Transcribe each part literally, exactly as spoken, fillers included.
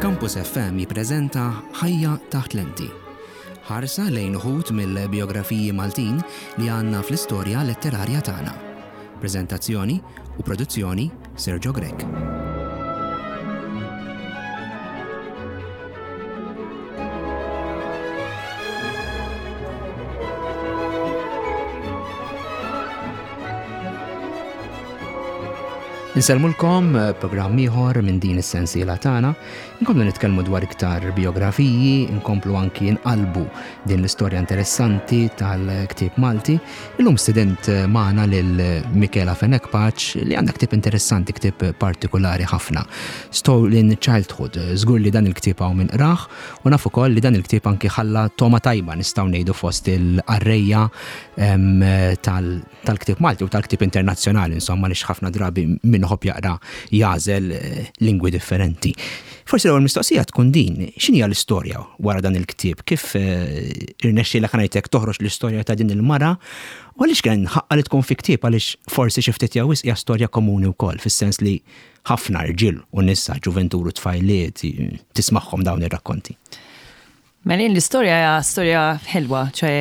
Campus F M jippreżenta Ħajja taħt lenti. Ħarsa lejn uħud mill-biografiji Maltin li għandna fl-istorja letterarja tagħna. Preżentazzjoni u produzzjoni, Sergio Grech. Insellmulkom, eh, programm ieħor minn din is-sensiela tagħna. Inkomplu nitkellmu dwar iktar biografiji, inkomplu anki nqalbu din l-istorja interessanti tal-ktieb Malti. Illum student eh, magħna lil Michela Fenech Pace li għandha ktieb interessanti, ktieb partikolari ħafna. Stolen Childhood. Żgur li dan il-ktieb hawn min qrah u naf ukoll li dan il-ktieb anki ħalla togħma tajba, nistgħu ngħidu, fost il-qarrejja tal tal-ktieb Malti u tal-ktieb internazzjonali, insomma, li ħafna drabi min iħobb jaqra jagħżel eh, lingwi differenti. Forsi l-ewwel mistoqsija tkun din, x'inhi l-istorja wara dan il-ktieb? Kif eh, irnexxielek ngħidlek toħroġ l-istorja ta' din il-mara? U għaliex kien ħaqqa li tkun fi ktieb? Għaliex forsi xi ftit jew wisq hija storja komuni wkoll, fis-sens li ħafna rġiel u nisa, ġuventur u tfajliet, tismagħhom dawn ir-rakkonti. Mela, l-istorja hija storja ħelwa, ċoè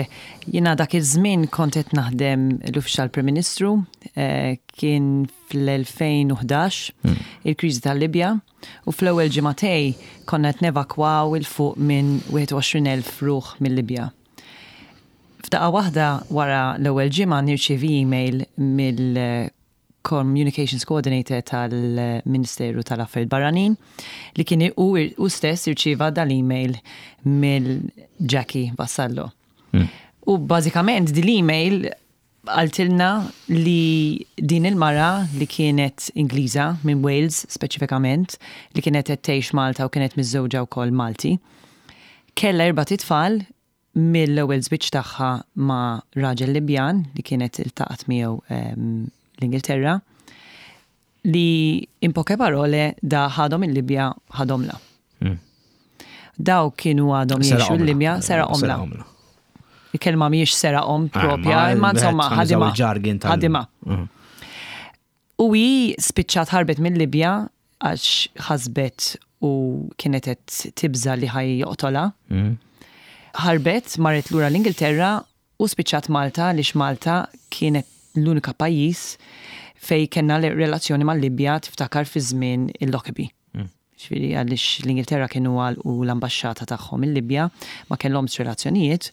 jiena dak iż-żmien kont qed naħdem l-Uffiċjal Prim Ministru, eh, kien fl-elfejn u ħdax, il-kriżi tal-Libja, u fl-ewwel ġimagħtejn konna qed nevakwaw 'il fuq minn wieħed u għoxrin elf ruħ mill-Libja. F'daqqa waħda, wara l-ewwel ġimgħa, nirċievi email mill Communications Coordinator tal-Ministeru tal-Affarijiet Barranin li kien u, u stess irċieva dal-email mill-Jackie Vassallo. Mm. U bażikament din l-email qaltilna li din il-mara li kienet Ingliża minn Wales speċifikament, li kienet qed tgħix Malta u kienet miżżewġa wkoll Malti, kellha erbat itfal mill-ewwel żwieġ tagħha ma' raġel Libjan li kienet iltaqgħet miegħu um, l-Ingilterra, li in poche parole da ħadhom il-Libja, ħadhomla. Mm. Daw kienu għadhom jgħixu l-Libja, seraqhomla. Il-kelma mhijiex seraqhom ah, propja, imma insomma ħadima. Ħadima. Mm. U hi spiċċat ħarbet mill-Libja għax ħasbet u kienet qed tibża li ħa joqtolha. Mm. Ħarbet, marret lura l-Ingilterra u spiċċat Malta għaliex Malta kienet l-unika pajjiż fej kellna relazzjoni mal-Libja, tiftakar fi żmien il-Lockerbie. Mm. Ġifieri għaliex l-Ingilterra kienu għalqu l-ambasċata tagħhom il-Libja, ma kellhomx relazzjonijiet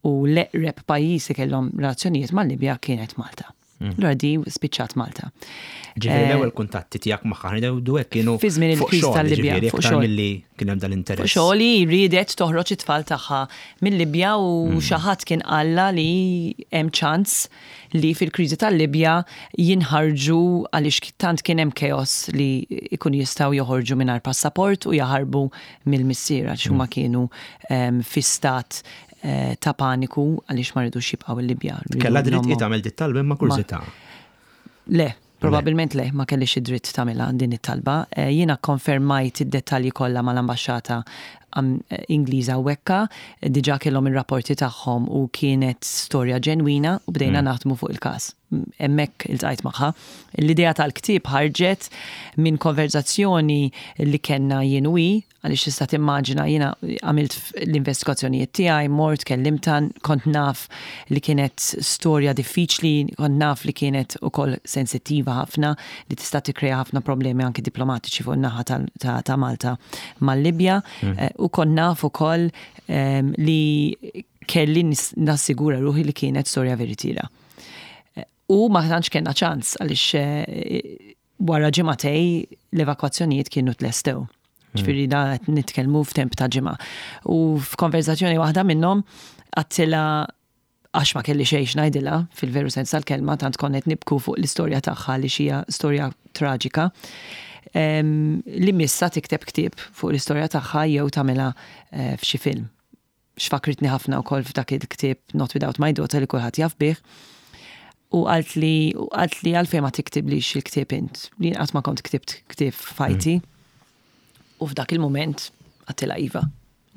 u l-eqreb pajjiż li kellhom relazzjonijiet mal-Libja kienet Malta. Mm. Allura di spiċċat Malta. Ġifieri eh, l-ewwel kuntatti tiegħek magħha ngħidu hekk kienu fi żmien il-kriżi tal-Libja. Fuq xogħol milli kien hemm dal-interess. Fuq xogħol, riedet toħroġ it-tfal tagħha mill-Libja u mm. xi ħadd kien qalla li hemm ċans li fil-kriżi tal-Libja jinħarġu, għaliex tant kien hemm chaos li ikun jistgħu joħorġu mingħajr passaport u jaħarbu mill-missier, għax huma mm. kienu fi stat eh, ta' paniku għaliex ma ridux jibqgħu il-Libja. Kellha dritt tagħmel dit talba imma kurżità? Le, probabilment le, ma kellix id-dritt tagħmilha din it-talba. Eh, jiena konfermajt id-dettalji kollha mal-ambaxxata eh, Ingliża u hekka, diġà kellhom ir-rapporti tagħhom u kienet storja ġenwina u bdejna mm. naħdmu fuq il-każ. Hemmhekk iltqajt magħha. L-idea tal-ktieb ħarġet minn konverzazzjoni li kellna jien u hi, għaliex tista' timmaġina jiena għamilt l-investigazzjonijiet tiegħi, mort kellimtha, kont naf li kienet storja diffiċli, kont naf li kienet ukoll sensittiva ħafna, li tista' tikkrea ħafna problemi anki diplomatiċi fuq in-naħa ta', ta Malta mal-Libja mm. Eh, u kont naf ukoll um, li kelli nassigura ruħi li kienet storja veritiera. Eh, u ma tantx kellna ċans għaliex eh, wara ġimagħtejn l-evakwazzjonijiet kienu tlestew. Ġifieri da qed nitkellmu f'temp ta' ġimgħa. U f'konverzazzjoni waħda minnhom għedtilha, għax ma kelli xejn ngħidilha fil-veru sens tal-kelma, tant konnet nibku fuq l-istorja tagħha li hija storja traġika, li missa tikteb ktieb fuq l-istorja tagħha jew tagħmilha eh, f'xi film. X'fakritni ħafna wkoll f'dak il-ktieb Not Without My Daughter li kulħadd jaf bih. U għalt li għalt li għalfejn ma tiktiblix il-ktieb int, li qatt ma kont ktibt ktieb f'ħajti. Mm. U f'dak il-moment għedtilha iva.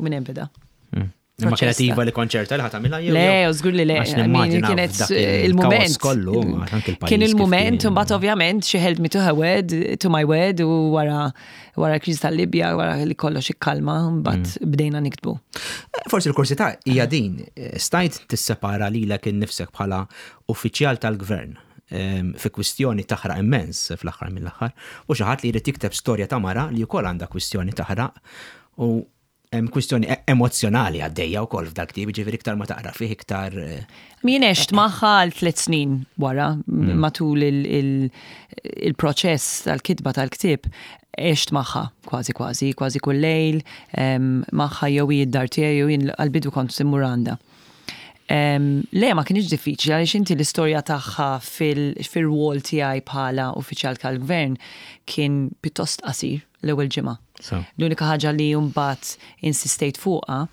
U minn hemm beda. Mm. Imma kienet iva li konċerta li ħa tagħmilha jew? Le, żgur li le. Għax nimmaġina Kienet f'dak il-moment. il-kaos kollu, anke il-pajjiż Kien kif il-moment, kien. u mbagħad ovvjament she held me to her word, to my word, u wara wara l-kriżi tal-Libja, wara li kollox ikkalma, mbagħad Mm. bdejna niktbu. Forsi l-kurżità hija din, stajt tissepara lilek innifsek bħala uffiċjal tal-gvern em, fi kwistjoni taħraq immens fl-aħħar mill-aħħar, u xi ħadd li jrid jikteb storja ta' mara li wkoll għandha kwistjoni taħraq u hemm kwistjoni e- emozjonali għaddejja wkoll f'dak ktieb, ġifieri iktar ma taqra fih iktar eh, Jien għext magħha għal tliet snin wara, matul il- il- il-proċess tal-kitba tal-ktieb, għext magħha kważi kważi, kważi kull lejl, em, magħha jew hi d-dar tiegħi jew jien għal-bidu kont immur għandha. Em, Le, ma kienx diffiċli għaliex inti l-istorja tagħha fil-rwol tiegħi bħala uffiċjal tal-gvern kien pjuttost qasir l-ewwel ġimgħa. So. L-unika ħaġa li mbagħad insistejt fuqha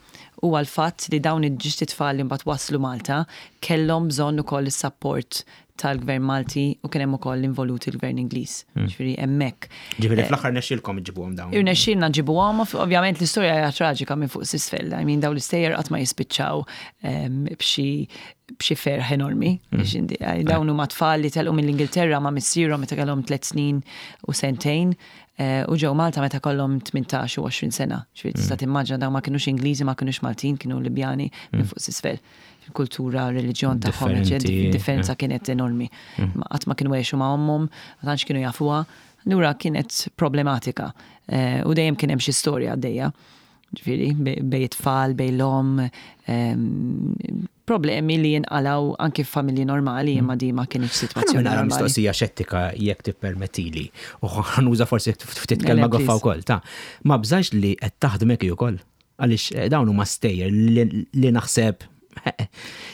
huwa l-fatt li dawn iż-żewġt itfal li mbagħad waslu Malta kellhom bżonn ukoll is-support tal-gvern Malti u kien hemm ukoll involuti l-gvern Ingliż. Ġifieri hemmhekk. Ġifieri fl-aħħar nexxielkom iġibuhom dawn. Irnexxielna nġibuhom, ovvjament l-istorja hija traġika minn fuq s'isfel. I mean, dawn l-istejjer qatt ma jispiċċaw em, b'xi b'xi ferħ enormi. Biex indi- eh, Dawn huma tfal li telqu mill-Ingilterra ma' missierhom meta kellhom tliet snin u sentejn eh, u ġew Malta meta kellhom tmintax u għoxrin sena. Ġifieri tista' timmaġina dawn ma kinux Ingliżi, ma kinux Maltin, kienu Libjani minn fuq s'isfel. Il-kultura, reliġjon tagħhom, Differenti, differenza kienet enormi. Ma Qatt ma kienu għexu ma' ommhom, ma tantx kienu jafuha. Allura kienet problematika. Eh, U dejjem kien hemm xi storja għaddejja. Ġifieri, bej bej it-tfal, bejn l-omm, em, problemi li jinqalaw anki f'familji normali, imma di ma kienx sitwazzjoni Nara normali. mistoqsija xettika jekk tippermettili. U ħa nuża forsi ftit Le, kelma le, goffa please. wkoll. Ta' ma bżajx li qed taħdmek hi wkoll. Għaliex eh, dawn huma stejjer li li naħseb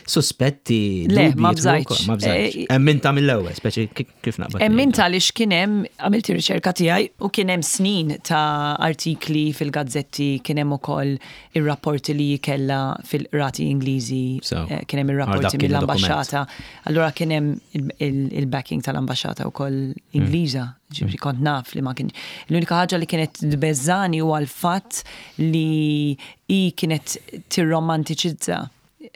suspetti. Le, dubji ma jidħlu bżajtx. wkoll, Ma bżajtx. Eh, Emminta mill-ewwel, speċi kif naqbad. Emminta li kien hemm għamilt ir-riċerka tiegħi u kien hemm snin ta' artikli fil-gazzetti, kien hemm ukoll ir-rapporti li kella fil-qrati Ingliżi, So, eh, kien hemm għal dak ir-rapporti kienu mill-ambaxxata. Allura kien hemm il-backing tal-ambaxxata wkoll Ingliża, ġifieri kont naf li ma kien. L-unika ħaġa li kienet tbeżżani huwa l-fatt li hi kienet tirromantiċizza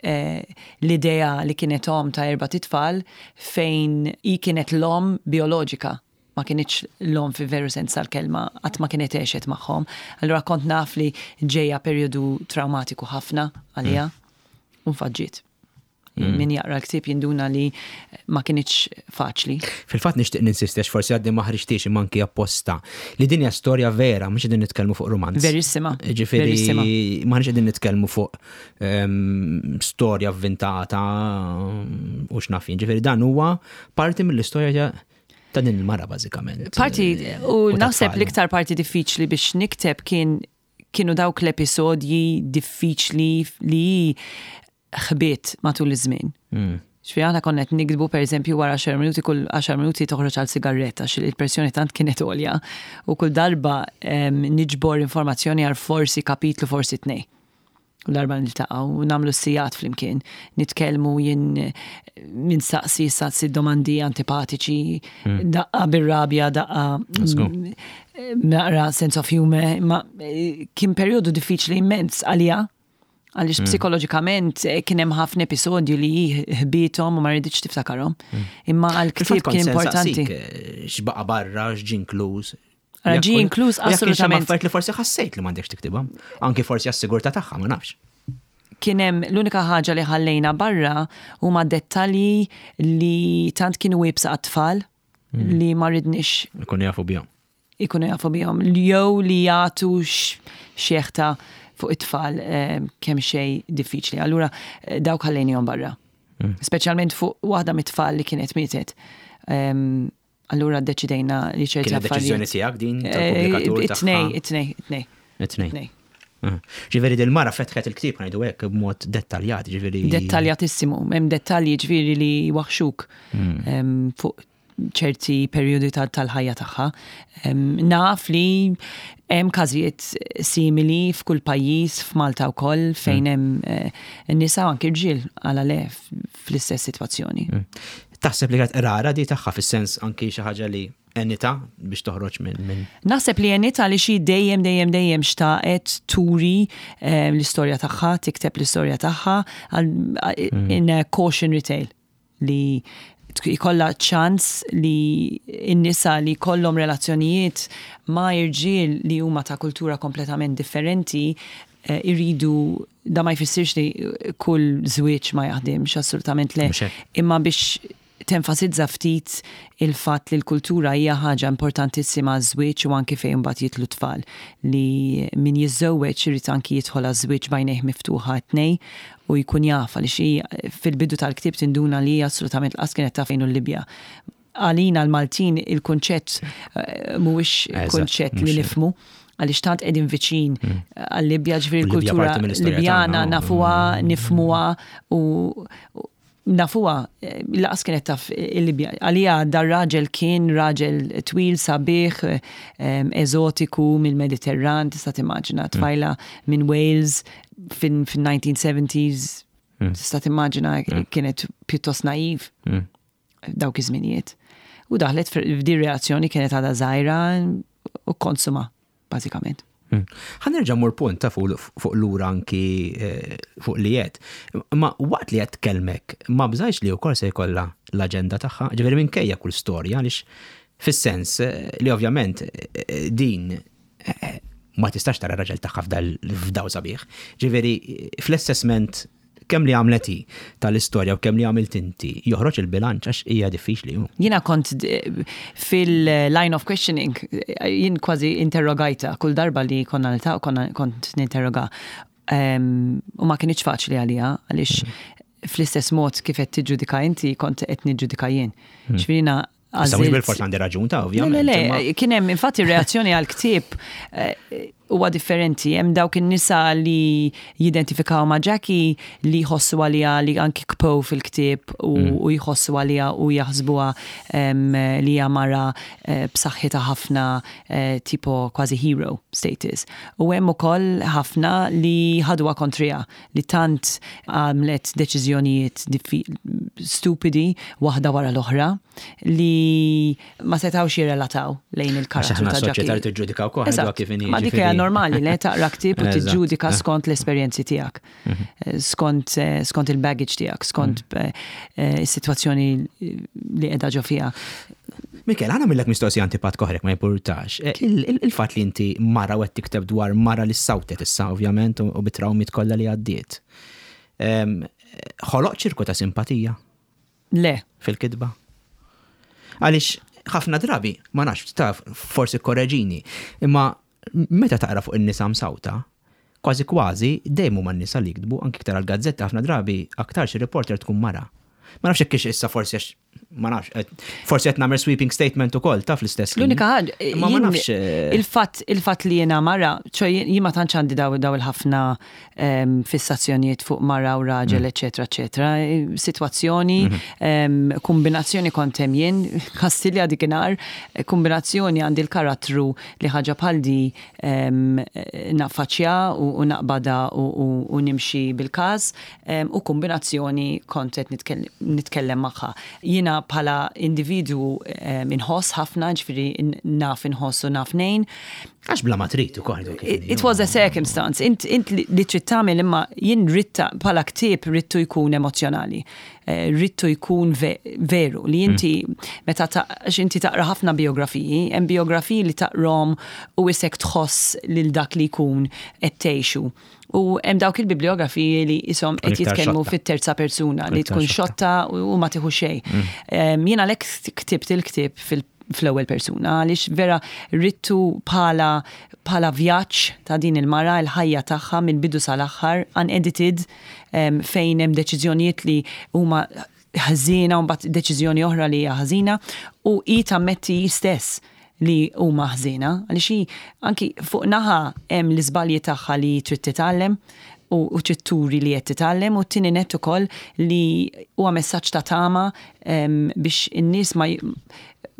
eh, l-idea li kienet om ta' erbat itfal fejn hi kienet l-om bioloġika, ma kienx l-om fi veru sens tal-kelma, qatt ma kienet għexet magħhom. Allura kont naf li ġejja perjodu traumatiku ħafna għalija u nfaġġiet. Min jaqra l-ktieb jinduna li ma kienx faċli. Fil-fatt nixtieq ninsisti għax forsi għadni ma ħriġtix imma anki apposta li din hija storja vera, mhux qegħdin nitkellmu fuq romanz. Verissima. Ġifieri Verissima. ma qegħdin nitkellmu fuq ehm, storja avvintata u x'naf jien. Ġifieri dan huwa parti mill-istorja ta' din il-mara bażikament. Parti, u ta' naħseb tfal. l-iktar parti diffiċli biex nikteb kien kienu dawk l-episodji diffiċli li ħbiet matul iż-żmien. Mm. Ġifieri aħna konna qed niktbu, per eżempju, wara għaxar minuti, kull għaxar minuti toħroġ għal sigaretta għax il-pressjoni tant kienet għolja u kull darba em, niġbor informazzjoni għal forsi kapitlu, forsi tnej. U darba niltaqgħu u nagħmlu sigħat flimkien, nitkellmu, jien min saqsi saqsi domandi antipatiċi, daqqa bir-rabja, daqqa Let's go. mm, naqra sense of humor, ma eh, kien perjodu diffiċli immens għalija, għaliex psikoloġikament eh, kien hemm ħafna episodji li ħbithom u ma rridx tiftakarhom. Imma għal-ktieb Fil-fatt kont kien se importanti. nsaqsik, eh, x'baqa' barra, x'ġie inkluż. Ara, Jekk ġie u- inkluż u jekk kien xi assolutament. affarijiet li forsi ħassejt li m'għandekx tiktibha. Anki forsi għas-sigurtà tagħha, ma nafx. Kien hemm l-unika ħaġa li ħallejna barra huma dettalji li tant kienu iebsa għat-tfal li ma ridniex Ikunu jafu bihom. ikunu jafu bihom jew li jagħtu xeħta fuq it-tfal eh, kemm xejn diffiċli. Allura eh, dawk ħallejnihom barra. Speċjalment fuq waħda mit-tfal li kienet mietet. Em, Allura ddeċidejna li ċerti Kienet deċiżjoni affarijiet. tiegħek din Eh, tal-pubblikatur It-tnej, tagħha? it-tnej, it-tnej. It-tnej. It-tnej. Ah. Ġifieri dil-mara fetħet il-ktieb, ngħidu hekk, b'mod dettaljat, ġifieri. Dettaljatissimu, hemm dettalji ġifieri li waħxuk em, fuq ċerti perjodi tal- tal-ħajja tagħha. Em, Naf li hemm każijiet simili f'kull pajjiż, f'Malta wkoll, fejn hemm eh, nisa u anki rġiel għala le fl-istess sitwazzjoni. Taħseb li kienet rara di tagħha fis-sens anki xi ħaġa li Għenitha biex toħroġ minn min. Naħseb li għenitha li xi dejjem, dejjem, dejjem xtaqet turi eh, l-istorja tagħha, tikteb l-istorja tagħha mm. in a cautionary tale li jkollha ċans li n-nisa li kollhom relazzjonijiet ma' irġiel li huma ta' kultura kompletament differenti eh, iridu, da ma jfissirx li kull żwieġ ma jaħdimx, assolutament le. Imma biex tenfasizza ftit il-fatt li l-kultura hija ħaġa importantissima żwieġ u anki fejn mbagħad jidħlu tfal, li min jiżżewweġ irid anki jidħol għaż-żwieġ b'għajnejh miftuħa tnej u jkun jaf, għaliex hi fil-bidu tal-ktieb tinduna li hija assolutament lanqas kienet taf fejn Libja. Għalina l-Maltin il-kunċett eh, mhuwiex kunċett li nifhmu għaliex tant qegħdin viċin mm. għal-Libja, ġifieri l-kultura Libjana nafuha, mm. nifhmuha u nafuha, eh, lanqas kienet taf il-Libja. Għalija dar raġel kien raġel twil, sabiħ, eżotiku mill-Mediterran, tista' timmaġina, mm. tfajla minn Wales fin-nineteen seventies, mm. tista' timmaġina mm. kienet pjuttost naiv dawk iż-żminijiet. U daħlet f'di relazzjoni, kienet għadha żgħira u konsuma, bażikament. Hmm. Ħa nerġa' mur punt ta' fuq lura anki eh, fuq li jed. Ma waqt li qed tkellmek, ma bżajx li wkoll se jkollha l-aġenda tagħha, ġifieri minkejja kull storja, għaliex fis-sens eh, li ovvjament eh, din ma tistax tara raġel tagħha f'daw sabiħ. Ġifieri fl-assessment kemm li għamlet hi tal-istorja u kemm li għamilt inti, joħroġ il-bilanċ, għax hija diffiċli. Jiena kont fil-line of questioning, jien kważi interrogajta kull darba li konna niltaqgħu, konna kont ninterroga. U ma kienx faċli għalija, għaliex mm. fl-istess mod kif qed tiġġudika inti, kont qed niġġudika jien. Mm. Ġifieri Issa mhux bil-fors għandi raġun ta' ovvjament. Le, le, le, kien hemm infatti reazzjoni għal ktieb eh, huwa differenti. Hemm dawk in-nisa li jidentifikaw ma' Jackie, li jħossu għaliha, li anki kpow fil-ktieb u mm. u jħossu għaliha u jaħsbuha li hija mara eh, b'saħħitha ħafna, eh, tipo kważi hero status. U hemm ukoll ħafna li ħaduha kontrija, li tant għamlet deċiżjonijiet stupidi waħda wara l-oħra li ma setawx jirrelataw lejn il-karattru ta' Jackie. Soċjetà tiġġudika wkoll kif inhi. Ma dik hija normali li taqra ktieb u tiġġudika skont l-esperjenzi tiegħek, mhm. eh, skont eh, skont il-baggage tiegħek, skont mhm. eh, is-sitwazzjoni li qiegħda ġo fiha. Mikel, ħa nagħmillek mistoqsija antipatika oħra, ma jimpurtax. Il-fatt li inti mara u qed tikteb dwar mara li sawtet issa ovvjament u bit-trawmiet kollha li għaddiet. Ħoloq ċirku ta' simpatija? Le. Fil-kitba? Għaliex ħafna drabi, ma nafx, taf, forsi korreġini, imma meta taqra fuq in-nisa msawta, kważi kważi dejjem huma n-nisa li jiktbu, anki iktar għal-gazzetta ħafna drabi aktar xi reporter tkun mara. Ma nafx hekk issa forsi għax ma nafx, forsi qed nagħmel sweeping statement ukoll taf l-istess. L-unika ħaġa, ma ma nafx. Eh, il-fatt il-fatt li jiena mara, ċo jien ma tantx għandi daw daw il-ħafna ehm, fissazzjonijiet fuq mara u raġel, mm. eċetera, eċetera. Sitwazzjoni, mhm. ehm, kombinazzjoni kont hemm jien, Kastilja dikinhar, kombinazzjoni għandi l-karattru li ħaġa bħal di ehm, naffaċċja u naqbada u nimxi bil-każ u kombinazzjoni kont qed nitkellem magħha. Jiena bħala individu inħoss ħafna, ġifieri naf inħoss u naf nejn. Għax bla ma trid ukoll. It was a circumstance. Int, int li trid tagħmel, imma jien ridtha bħala ktieb, ridtu jkun emozjonali. Eh, ridtu jkun veru li inti meta għax inti taqra ħafna biografiji, hemm biografiji li taqrom u isek tħoss lil dak li jkun qed tgħixu. U hemm dawk il-bibliografiji li isom qed jitkellmu fit-terza persuna, li tkun xotta u ma tieħu xejn. Mm. Jien għalhekk ktibt il-ktieb fil fl-ewwel persuna, għaliex vera ridtu bħala bħala vjaġġ ta' din il-mara, il-ħajja tagħha mill-bidu sal-aħħar, unedited, fejn hemm deċiżjonijiet li huma ħażina u mbagħad deċiżjoni oħra li hija ħażina u hi tammetti stess li huma ħżiena, għaliex hi anki fuq naħa hemm l-iżbalji tagħha li trid titgħallem u, u trid turi li qed titgħallem, u t-tieni nett ukoll li huwa messaġġ ta' tama biex in-nies ma,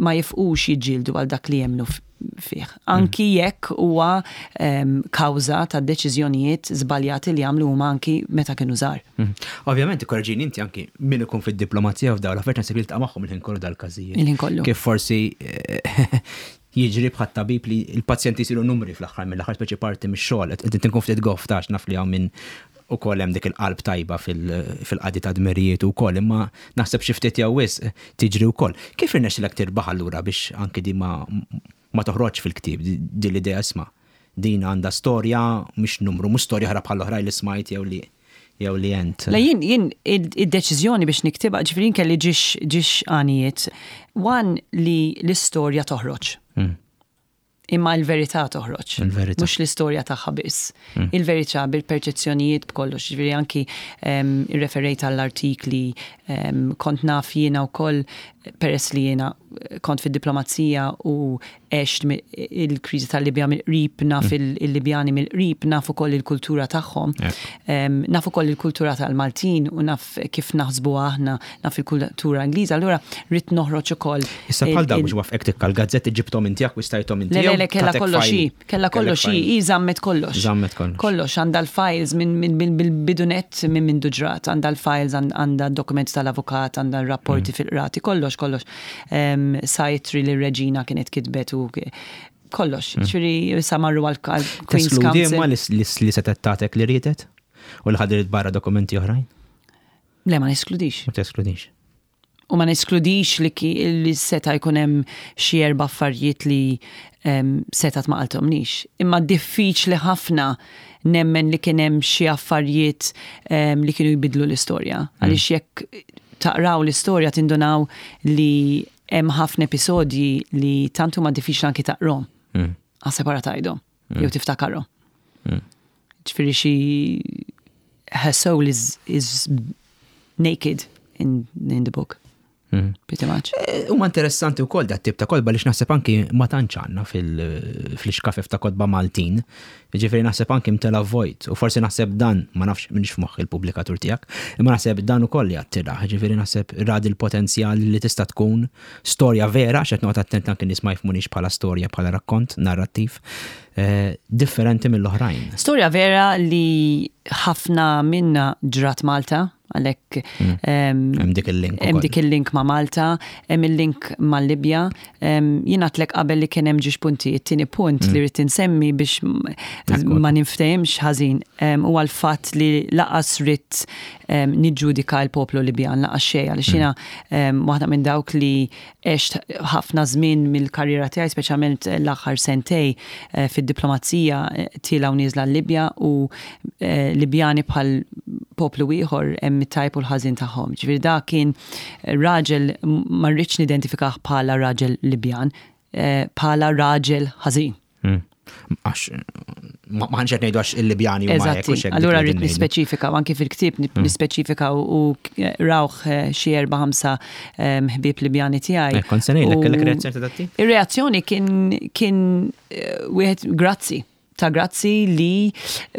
ma jifqux jiġġieldu għal dak li jemmnu. fih. Anki jekk huwa em, kawża ta' deċiżjonijiet żbaljati li għamlu huma anki meta kienu żgħar. Mhm. Ovvjament, korreġini inti, anki min ikun fid-diplomazija f'dawn l-affarijiet, naħseb jiltaqa' magħhom il-ħin kollu dal-każijiet. Il-ħin kollu. Kif forsi eh, jiġri bħat tabib li il-pazjenti jsiru numri fl-aħħar mill-aħħar, speċi parti mix-xogħol. Qed tinkun ftit goff tax naf li hawn min ukoll hemm dik il-qalb tajba fil- fil-qadi ta' dmirijiet ukoll, imma naħseb xi ftit jew wisq tiġri wkoll. Kif irnexxilek tirbaħ allura biex anki di ma ma toħroġ fil-ktieb di di l-idea, isma', din għandha storja, mhux numru, mhux storja oħra bħal oħrajn li smajt jew li jew li jent? La, jien, jien id-deċiżjoni biex niktibha, ġifieri kelli ġiex ġiex għanijiet. One, li l-istorja toħroġ. Mm. Imma l-verità toħroġ. Il-verità. Mhux l-istorja tagħha biss. Il-verità bil-perċezzjonijiet, b'kollox. Ġifieri anki um, irreferejt għall-artikli, um, kont naf jiena wkoll, peress li jiena kont fid-diplomazija u għext mi- il-kriżi tal-Libja mill-qrib, naf il- il-Libjani mill-qrib, naf ukoll il-kultura tagħhom. Um, naf ukoll il-kultura tal-Maltin u naf kif naħsbu aħna, naf il-kultura Ingliża. Allura ridt noħroġ ukoll. Issa bħal il- dawn il- biex wafqek tikka l-gazzetti ġibtom inti, akkwistajthom inti? Le, le, Jew le, kella tatek kollox file? hi, kella kollox Kellek hi, file. hi żammet kollox. Żammet kollox. Kollox, għandha l-files minn min, min, bil-bidunet minn minn ġrat, għandha l-files, għandha dokumenti tal-avukat, għandha rapporti Mm. fil-qrati, kollox, kollox. Um, Sajtri li reġina kienet kitbet u kollox. Ġifieri sa marru għal għal Queen's Mm. Teskludi imma Counsel. li li setet tatek li riedet? U li ħadirt barra dokumenti oħrajn? Le, ma neskludix. Ma teskludix. U ma neskludix li, ki, li seta jkun hemm xi erba' affarijiet li um, setat ma qaltomnix. Imma diffiċli ħafna nemmen li kien hemm xi affarijiet um, li kienu jbidlu l-istorja. Għaliex jekk taqraw l-istorja tindunaw li hemm ħafna episodji li tant huma diffiċli anki taqrom. Mm. Għas tgħidhom, jew tiftakarhom. Mm. Ġifieri xi her soul is, is naked in, in the book, Mm. pretty much. Eh, Huma interessanti wkoll dat tip ta' kotba li naħseb anki ma tantx għandna fil- fl-iskafef ta' kotba Maltin. Ġifieri naħseb anki mtela vojt u forsi naħseb dan, ma nafx minix f'moħħ il-pubblikatur tiegħek, imma naħseb dan ukoll jattira. Ġifieri naħseb rad il-potenzjal li tista' tkun storja vera, x'qed noqgħod attent anki nies ma jifhmunix bħala storja, bħala rakkont narrattiv eh, differenti mill-oħrajn. Storja vera li ħafna minna ġrat Malta, għalhekk em, Hemm dik il-link hemm ukoll. dik il-link ma' Malta, hemm il-link ma' Libja. Em, Jien għedtlek qabel li kien hemm ġiex punti. It-tieni punt li rrid insemmi biex m- Ekku. ma ninftehimx ħażin em, huwa l-fatt li lanqas ridt em, niġġudika l-poplu Libjan, lanqas xejn, għaliex jiena em, waħda minn dawk li għext ħafna żmien mill-karriera tiegħi, speċjalment l-aħħar sentej eh, fid-diplomazija eh, tiela' u nieżla l-Libja u eh, Libjani bħal poplu ieħor hemm it-tajb u l-ħażin tagħhom. Ġifieri da kien raġel, ma rridx nidentifikah bħala raġel Libjan, eh, bħala raġel ħażin. Mm. Għax ma ma ħanx qed ngħidu għax il-Libjani huma hekk u Eżatti. x'hekk Allura dik li rrid ngħidu. nispeċifika, u anki fil-ktieb nip- nispeċifika u u rawh eh, xi erba' ħamsa eh, ħbieb Libjani tiegħi. Eh, kont se ngħidlek, U- kellek reazzjoni ta' dat-tip? Ir-reazzjoni kien kien eh, wieħed grazzi, ta' grazzi li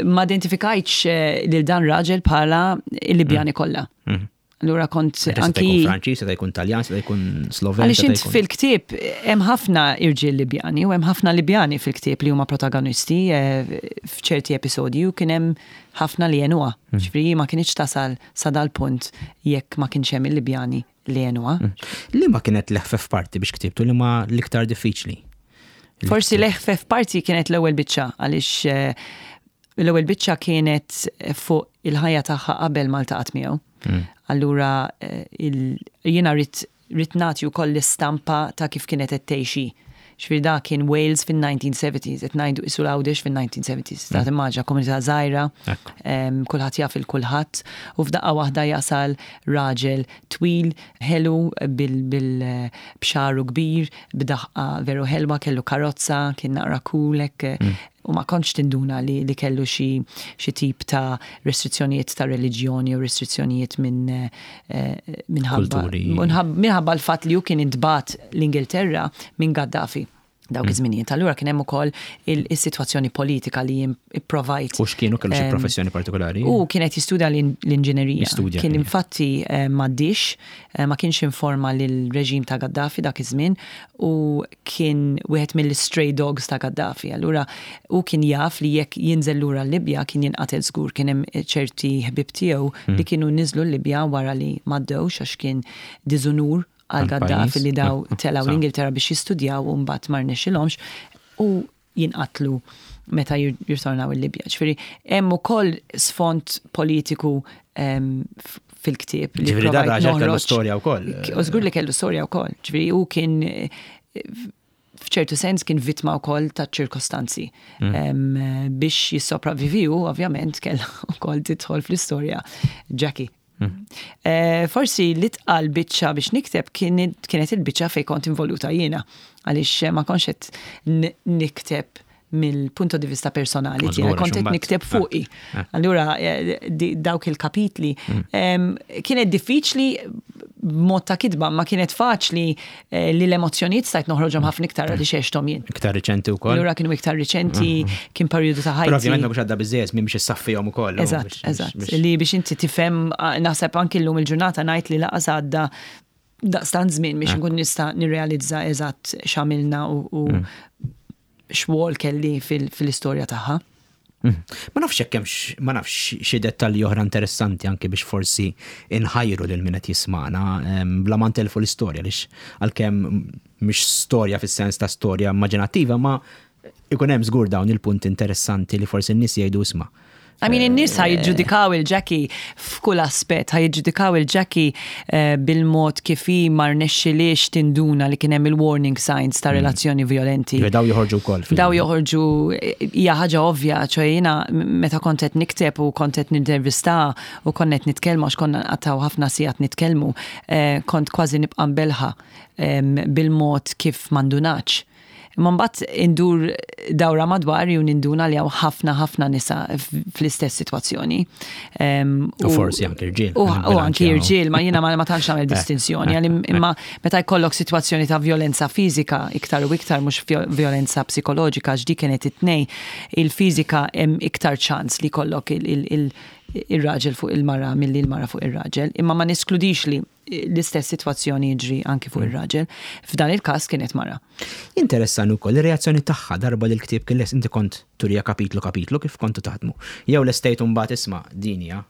ma identifikajtx eh, lil dan raġel bħala il-Libjani kollha. Mm. Allura kont Seta' anki jkun Franċiż, seta' jkun Taljan, seta' jkun Sloven. Għaliex seta' int jkun- fil-ktieb hemm ħafna irġiel Libjani u hemm ħafna Libjani fil-ktieb li huma protagonisti eh, f'ċerti episodji u kien hemm ħafna li għenuha. Mm. Ġifieri ma kienx tasal sa dal-punt jekk ma kienx hemm il-Libjani li għenuha. Li ma kienet l-eħfef parti biex ktibtu, li ma l-iktar diffiċli? Forsi l-eħfef parti kienet l-ewwel biċċa, għaliex eh, l-ewwel biċċa kienet fuq il-ħajja tagħha qabel ma ltaqgħet miegħu. Allura eh, il- jiena ridt ridt nagħti wkoll l-istampa ta' kif kienet qed tgħixi. Ġifieri da kien Wales fin-nineteen seventies, qed ngħidu isu l-Għawdex fin-nineteen seventies. Ta' timmaġina komunità żgħira, Ekku. em, kulħadd jaf il-kulħadd u f'daqqa waħda jasal raġel twil, ħelu, bil, bil b'xagħru kbir, b'daħqa veru ħelwa, kellu karozza, kien naqra cool hekk, u ma kontx tinduna li, li kellu xi xi tip ta' restrizzjonijiet ta' reliġjoni u restrizzjonijiet minn eh, minħabba Kulturi. minħabba minħabba l-fatt li hu kien intbagħat l-Ingilterra minn Gaddafi. Dawk iż-żminijiet. Allura kien hemm ukoll il-sitwazzjoni politika li jien ipprovajt. U x'kienu, kellu xi professjoni partikolari? U kienet jistudja l-inġinerija. Jistudja, Kien kien. infatti eh, m'għaddiex, eh, ma kienx informa lill-reġim ta' Gaddafi dak iż-żmien u kien wieħed mill-stray dogs ta' Gaddafi. Allura u kien jaf li jekk jinżel lura l-Libja kien jinqatel żgur. Kien hemm ċerti ħbib tiegħu li kienu niżlu l-Libja wara li m'għaddewx għax kien diżunur għal għal Gaddafi pajjiż. li daw telgħu Sa. l-Ingilterra biex jistudjaw u mbagħad ma rnexxilhomx u jinqatlu meta jir- jirtornaw il-Libja. Ġifieri hemm ukoll sfond politiku em, f- fil-ktieb li Ġifieri dan provajt raġel kellu noħroġ. storja wkoll. U żgur li kellu storja wkoll. Ġifieri hu kien eh, f'ċertu sens kien vittma wkoll ta' ċirkostanzi. Mm. Em, Biex jissopravvivi hu, ovvjament, kellha wkoll tidħol fl-istorja Jackie. Mm. Eh, Forsi li tqal biċċa biex nikteb kienet kienet il-biċċa fej kont involuta jiena, għaliex ma kontx qed n- nikteb mill-punto di vista personali Ma tiegħi, żgur, kont qed għax nikteb imbagħad- fuqi. Eh, eh. Allura eh, di- dawk il-kapitli Mm. em, kienet diffiċli b'mod ta' kitba, ma kienet faċli eh, li l-emozzjonijiet stajt noħroġhom ħafna iktar għaliex għexthom jien. Iktar riċenti wkoll. Allura kienu iktar riċenti, kien perjodu ta' Però ovvjament ħajti. ma biex għadda biżejjed minn biex issaffihom ukoll. u Eżatt, biex- eżatt. biex- Li biex inti tifhem, ah, naħseb anki llum il-ġurnata ngħid li lanqas għadda daqstant żmien biex nkun nista' nirrealizza eżatt x'għamilna u, u Mm. x'rwol kelli fil- fil-istorja tagħha. Mm. Ma nafx jekk hemmx, ma nafx xi dettalji oħra interessanti anke biex forsi inħajru lil min qed jismana em, bla ma ntelfu l-istorja, għaliex għalkemm mhix storja fis-sens ta' storja immaġinattiva, ma ikun hemm żgur dawn il-punti interessanti li forsi n-nies jgħidu, "Isma'." I mean, in-nies ħa jiġġudikaw lil Jackie f'kull aspett, ħa jiġġudikaw lil Jackie eh, bil-mod kif hi ma rnexxilix tinduna li kien hemm il-warning signs ta' relazzjoni violenti. Ġifieri daw joħorġu wkoll. fil- Daw joħorġu, hija ħaġa ovvja, ċoè jiena meta kont qed nikteb u kont qed nintervista u kont qed nitkellmu, għax konna nqattgħu ħafna sigħat nitkellmu, eh, kont kważi nibqa' mbelħa em, bil-mod kif m'indunax. Imma mbagħad indur dawra madwar u ninduna li hawn ħafna ħafna nisa fl-istess sitwazzjoni. Em, U forsi anke irġiel. U u anki irġiel, ma jiena ma ma tantx nagħmel Eh, distinzjoni, eh, għal imma meta jkollok sitwazzjoni ta' violenza fiżika iktar u iktar, mhux violenza psikoloġika, għax dik kienet it-tnej, il-fiżika hemm iktar ċans li jkollok il-raġel fuq il-mara milli il-mara fuq ir-raġel, imma ma neskludix li l-istess sitwazzjoni jiġri anki fuq ir-raġel. F'dan il-każ kienet mara. Interessanti wkoll ir-reazzjoni tagħha darba li l-ktieb kien lest. Inti kont turija kapitlu kapitlu, kif kontu taħdmu? Jew lestejt mbagħad, "Isma', din hija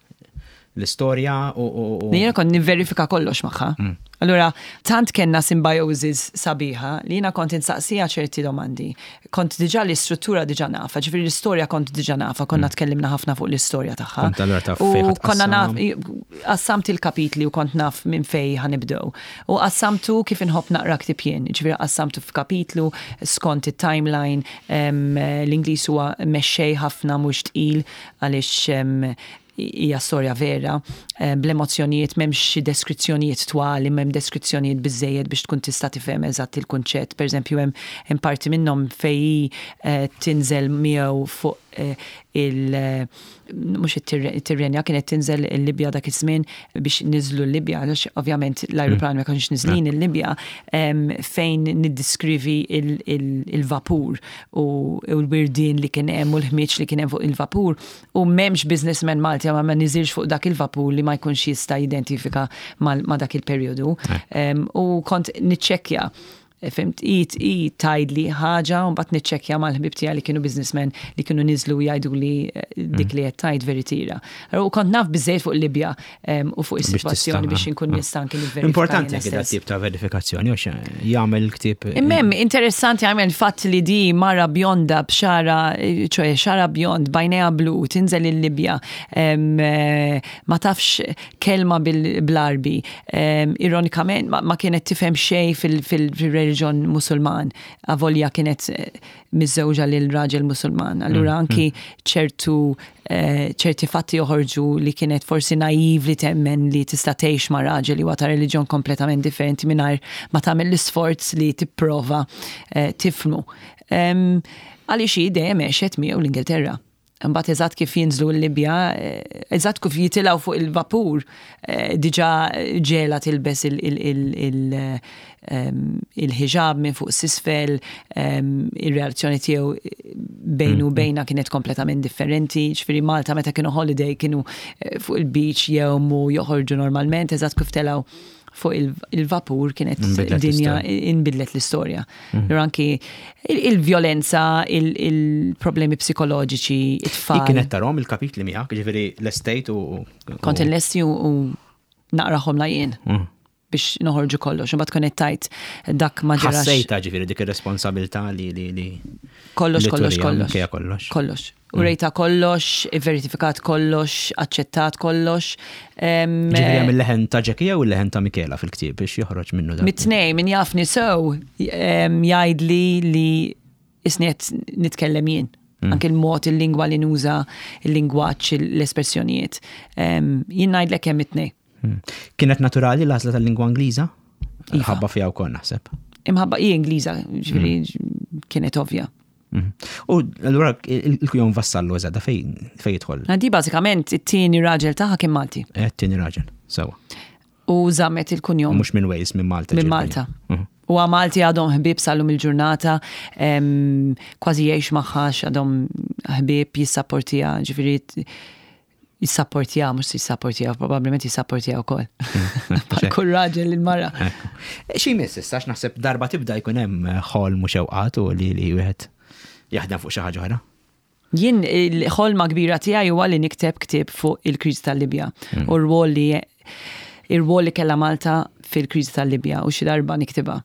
l-istorja" u u- u Jiena kont nivverifika kollox magħha. Allura, tant kellna symbiosis sabiħa li jiena kont insaqsija ċerti domandi. Kont diġà l-istruttura diġà nafha, ġifieri l-istorja kont diġà nafha, konna tkellimna ħafna fuq l-istorja tagħha. Kont allura taf U fejn ħa konna naf, tqassam. qassamt il-kapitli u kont naf minn fej ħa nibdew. U qassamtu kif inħobb naqra ktieb jien, ġifieri qassamtu f'kapitlu skont it-timeline, em, l-Ingliż huwa mexxej ħafna, mhux tqil għaliex em, hija storja vera, eh, bl-emozzjonijiet, m'hemmx xi deskrizzjonijiet twal, imma hemm deskrizzjonijiet biżejjed biex tkun tista' tifhem eżatt il-kunċett. Per eżempju, hemm hemm parti minnhom fej eh, tinżel miegħu fuq eh, il eh, mhux it-Tirrenja, kienet tinżel il-Libja dak iż-żmien biex niżlu l-Libja, għaliex ovvjament l-ajruplan ma kienx niżlin il-Libja, em, fejn niddiskrivi il- il- il-vapur u u l-wirdin li kien hemm u l-ħmieġ li kien hemm fuq il-vapur, u m'hemmx businessman Malti ma ma niżilx fuq dak il-vapur li ma jkunx jista' jidentifika mal- ma dak il-perjodu. Em, U kont niċċekkja, fhimt, i i tgħidli ħaġa u mbagħad niċċekkja mal-ħbib tiegħi li kienu businessmen li kienu niżlu jgħidu li eh, dik li qed tgħid veritiera. U kont naf biżejjed fuq Libja em, u fuq Biex is-sitwazzjoni tista' biex inkun nista' anke nivverifika Importanti jiena anke dat stess. tip ta' verifikazzjoni għax jagħmel il-ktieb. Immem, interessanti għamel fatt li di mara bjonda b'xagħarha, ċoè xagħarha bjond, b'għajnejha blu, tinżel il-Libja, em, eh, ma tafx kelma bil-Għarbi, em, ironikament ma, ma kienet tifhem xej fil-reliġjon Musulman, avolja kienet eh, miżżewġa lil raġel Musulman. Allura anki ċertu eh, ċerti fatti joħorġu li kienet forsi naiv li temmen li tista' tgħix ma' raġel li huwa ta' reliġjon kompletament differenti mingħajr ma tagħmel l-isforz li tipprova eh, tifhmu. Em, Għaliex hi dejjem għexet miegħu l-Ingilterra. Mbagħad eżatt kif jinżlu l-Libja, eżatt kif jitilgħu fuq il-vapur, diġà ġela tilbes il-ħiġab minn fuq s'isfel, ir-relazzjoni tiegħu bejnu u bejna kienet kompletament differenti. Ġifieri Malta meta kienu holiday kienu fuq il-beach jgħumu, joħorġu normalment, eżatt kif telgħu fuq il-vapur kienet dinja inbidlet l-istorja. Mm. Anki il-vjolenza, il-problemi psikoloġiċi, it-tfal. Kienet tarahom il-kapitli miegħek, ġifieri l-estate u. Kont il-lesti u naqrahom la jien. Mm. Biex noħorġu kollox, u bat kont tajt dak ma ġarax. Ħassejta ġifieri dik ir-responsabilità li li li. Kollox, kollox, kollox. Kollox. Kollox. U rejta kollox, verifikat kollox, aċċettat kollox. Ġifieri hemm il-leħen ta' Jackie jew il-leħen ta' Michela fil-ktieb biex joħroġ minnu dan? Mit-tnejn, min jafni sew jgħidli li isni qed nitkellem jien. Anke il-mod, il-lingwa li nuża, il-lingwaġġ, l-espressjonijiet. Jien ngħidlek hemm it-tnejn. Kienet naturali l-għażla tal-lingwa Ingliża? Ħabba fiha wkoll naħseb. Imħabba hi Ingliża, ġifieri kienet ovvja. U allura il-kunjom Vassallo eżatt fejn fejn jidħol? Di bażikament it-tieni raġel tagħha kien Malti. It-tieni raġel, sewa. U żammet il-kunjom. Mhux minn Wales, minn Malta. Minn Malta. U Malti għadhom ħbieb sal-lum il-ġurnata, kważi jgħix magħha għadhom ħbieb, jissapportija, ġifieri jissapportija, mhux jissapportija, probabbilment jissapportija wkoll. Bħal kull raġel il-mara. Xi miss issa, naħseb darba tibda jkun hemm ħolm u xewqat u li li wieħed jaħdem fuq xi ħaġa oħra. Jien il-ħolma kbira tiegħi huwa li nikteb ktieb fuq il-kriżi tal-Libja u r-rwol li ir-rwol li kellha Malta fil-kriżi tal-Libja u xi darba niktibha.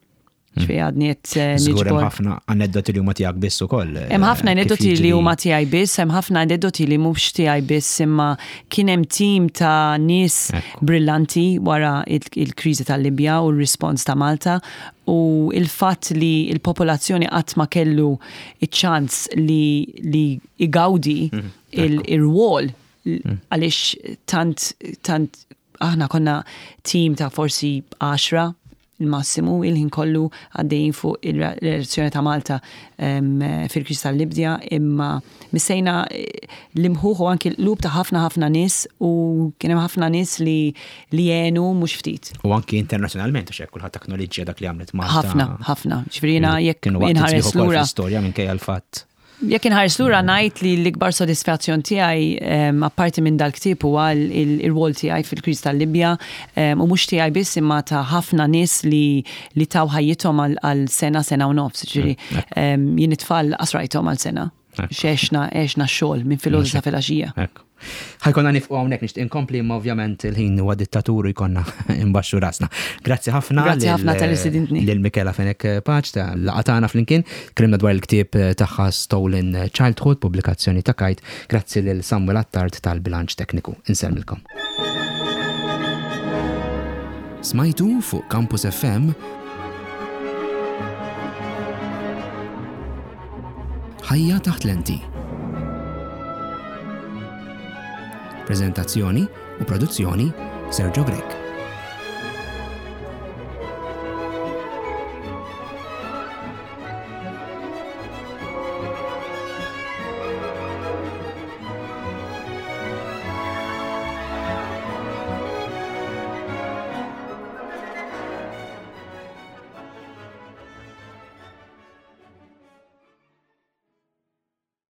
Ġifieri għadni qed Żgur hemm ħafna aneddoti li huma tiegħek biss ukoll. Hemm ħafna aneddoti li huma tiegħi biss, hemm ħafna aneddoti li mhux tiegħi biss, imma kien hemm tim ta' nies brillanti wara il-kriżi tal-Libja u r-rispons ta' Malta u il-fatt li il-popolazzjoni qatt ma kellu iċ-ċans li li igawdi il-rwol għaliex tant tant aħna konna tim ta' forsi għaxra il-massimu, il-ħin kollu għaddejjin fuq il-reazzjoni ta' Malta fil-kriżi tal-Libja, imma missejna l-imħuħ u anki l-lub ta' ħafna ħafna nies u kien hemm ħafna nies li li għenu mhux ftit. U anki internazzjonalment għax hekk kulħadd acknowledġġja dak li għamlet Malta. Ħafna, ħafna. Ġifieri jiena jekk inħares lura. L-istorja minkejja l-fatt. Jekk inħares lura ngħid li l-ikbar sodisfazzjon tiegħi apparti minn dal-ktieb huwa il-rwol tiegħi fil-kriżi tal-Libja u mhux tiegħi biss imma ta' ħafna nies li li taw ħajjithom għal sena, sena u nofs. Ġifieri jien it-tfal qasrajthom għal sena. X'għexna, għexna x-xogħol minn filgħodu sa filgħaxija. Ħa jkollna nieqfu hawnhekk, nixtieq inkompli imma ovvjament il-ħin huwa dittatur u jkollna imbaxxu rasna. Grazzi ħafna. Grazzi ħafna tal-istedintni. Lil Michela Fenech Pace ta' laqgħa tagħna flimkien. Tkellimna dwar il-ktieb tagħha Stolen Childhood, pubblikazzjoni ta' Kite. Grazzi lil Samuel Attard tal-Bilanċ Tekniku. Insellmilkom. Smajtu fuq Campus F M Ħajja taħt lenti. Prezentazzjoni u produzzjoni Sergio Grech.